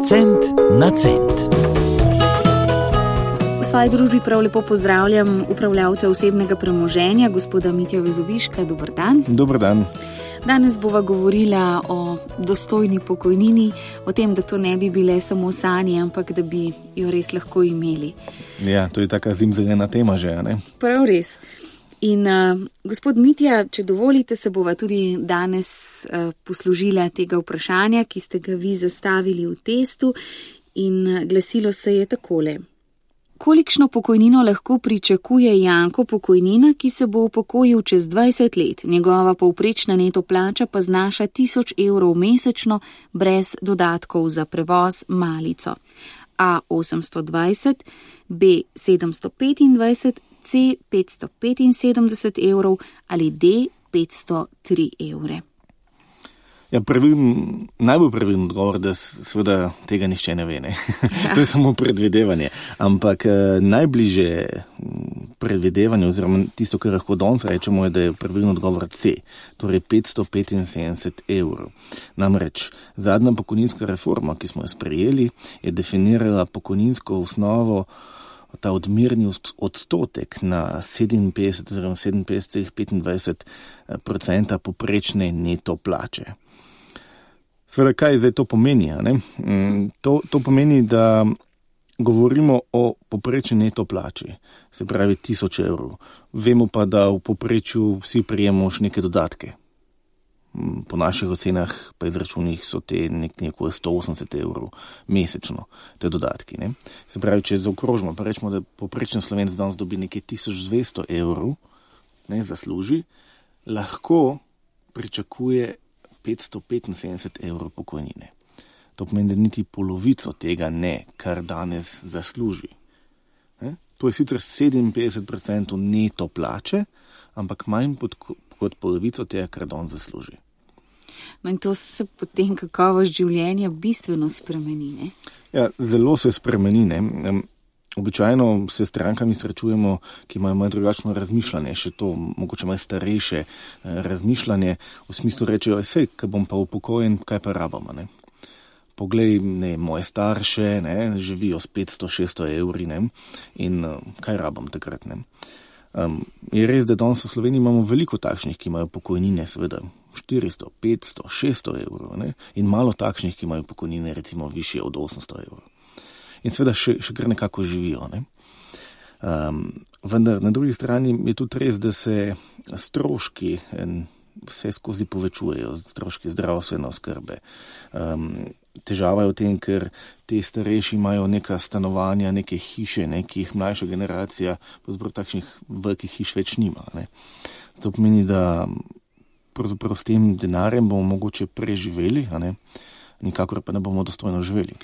Cent na cent. V svoji družbi prav lepo pozdravljam upravljavca osebnega premoženja, gospoda Mitja Vezoviška. Dober dan. Dober dan. Danes bova govorila o dostojni pokojnini, o tem, da to ne bi bile samo sanje, ampak da bi jo res lahko imeli. Ja, to je taka zimzelena tema že, ne? Prav res. In gospod Mitja, če dovolite, se bova tudi danes poslužila tega vprašanja, ki ste ga vi zastavili v testu, in glasilo se je takole. Kolikšno pokojnino lahko pričakuje Janko Pokojnina, ki se bo upokojil čez 20 let? Njegova povprečna neto plača pa znaša 1000 evrov mesečno brez dodatkov za prevoz, malico. A 820, B 725, C 575 evrov ali D 503 evre. Ja, najbolj pravilen odgovor, da seveda tega nihče ne ve, ne? To je samo predvidevanje. Ampak najbliže predvidevanje, oziroma tisto, kar lahko danes rečemo, je, da je pravilen odgovor C, torej 575 evrov. Namreč zadnja pokojninska reforma, ki smo jo sprejeli, je definirala pokojninsko osnovo, ta odmerni odstotek na 57 oziroma 57,25% poprečne neto plače. Seveda, kaj zdaj to pomeni? Ne? To pomeni, da govorimo o poprečni neto plači, se pravi 1000 evrov. Vemo pa, da v poprečju vsi prejemamo še neke dodatke. Po naših ocenah pa izračunih so te nekako 180 evrov mesečno, te dodatki. Ne? Se pravi, če zaokrožimo, pa rečemo, da poprečen Slovenec danes dobi nekaj 1200 evrov, ne, zasluži, lahko pričakuje 575 evrov pokojnine. To pomeni, da niti polovico tega ne, kar danes zasluži. Ne? To je sicer 57% neto plače, ampak manj kot polovico tega, kar danes zasluži. No in to se potem kakovost življenja bistveno spremeni, ne? Ja, zelo se spremeni, ne. Običajno se s strankami srečujemo, ki imajo malo drugačno razmišljanje, še to mogoče malo starejše razmišljanje, v smislu rečejo, sej, ko bom pa upokojen, kaj pa rabam, ne. Poglej, ne, moje starše, ne, živijo s 500-600 evri, ne, in kaj rabam takrat, ne. Je res, da danes v Sloveniji imamo veliko takšnih, ki imajo pokojnine, seveda 400, 500, 600 evrov, ne, in malo takšnih, ki imajo pokojnine recimo višje od 800 evrov. In seveda še kar nekako živijo, ne. Vendar na drugi strani je tudi res, da se stroški vse skozi povečujejo, stroški zdravstvene oskrbe. Težava je v tem, ker te starejši imajo neka stanovanja, neke hiše, ne, ki jih mlajša generacija pravzaprav takšnih velikih hiš več nima, ne. To pomeni, da pravzaprav s tem denarjem bomo mogoče preživeli, a ne, nikakor pa ne bomo dostojno živeli.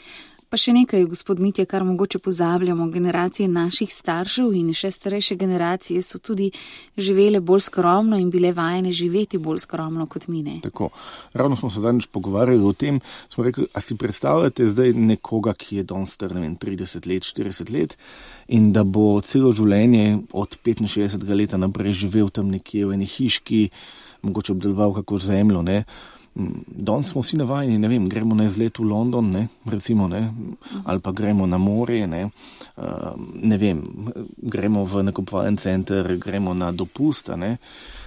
Pa še nekaj, gospod Mitja, kar mogoče pozabljamo, generacije naših staršev in še starejše generacije so tudi živele bolj skromno in bile vajene živeti bolj skromno kot mi, ne? Tako. Ravno smo se zadnjič pogovarjali o tem, smo rekli, a si predstavljate zdaj nekoga, ki je danes star, ne vem, 30 let, 40 let in da bo celo življenje od 65 leta naprej živel tam nekje v eni hiški, mogoče obdeloval kako zemljo, ne? Danes smo vsi navajeni, ne vem, gremo na izlet v London, ne, recimo, ne, ali pa gremo na morje, ne vem, gremo v nakupovalni center, gremo na dopust, ne.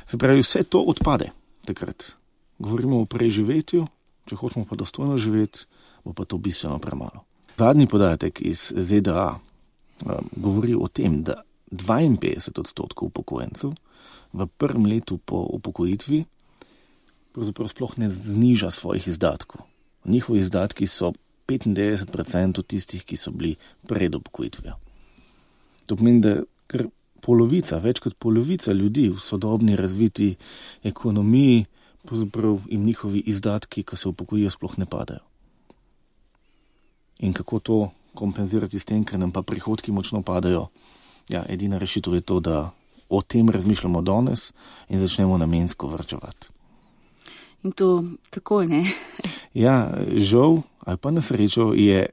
Se pravi, vse to odpade takrat. Govorimo o preživetju, če hočemo pa dostojno živeti, bo pa to bistveno premalo. Zadnji podatek iz ZDA govori o tem, da 52% upokojencev v prvem letu po upokojitvi pravzaprav sploh ne zniža svojih izdatkov. Njihovi izdatki so 95% tistih, ki so bili pred upokojitvijo. To pomeni, da kar polovica, več kot polovica ljudi v sodobni razviti ekonomiji, pravzaprav jim njihovi izdatki, ko se upokojijo, sploh ne padajo. In kako to kompenzirati s tem, ker nam pa prihodki močno padajo? Ja, edina rešitev je to, da o tem razmišljamo danes in začnemo namensko varčevati. In to takoj, ne? Ja, žal ali pa na srečo je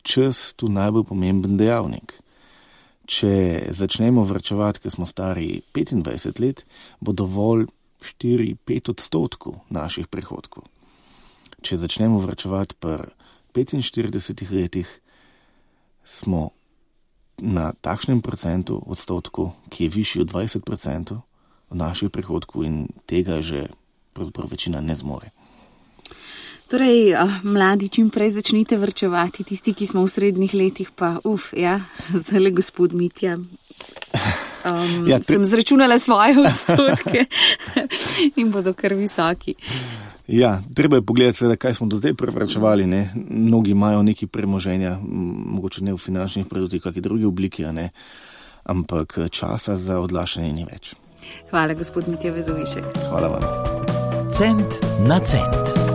čas tu najbolj pomemben dejavnik. Če začnemo varčevati, ker smo stari 25 let, bo dovolj 4-5% naših prihodkov. Če začnemo varčevati pri 45 letih smo na takšnem odstotku, ki je višji od 20% od naših prihodkov in tega že pravzaprav večina ne zmore. Torej, mladi, čim prej začnite varčevati, tisti, ki smo v srednjih letih, pa zdaj le gospod Mitja. Sem zračunala svoje odstotke in bodo kar visoki. Ja, treba je pogledati, seveda, kaj smo do zdaj prevarčevali. Mnogi imajo neki premoženja, mogoče ne v finančnih produktih, kakšni drugi obliki, ampak časa za odlašanje ni več. Hvala, gospod Mitja Vezovišek. Hvala vam. Cent na cent.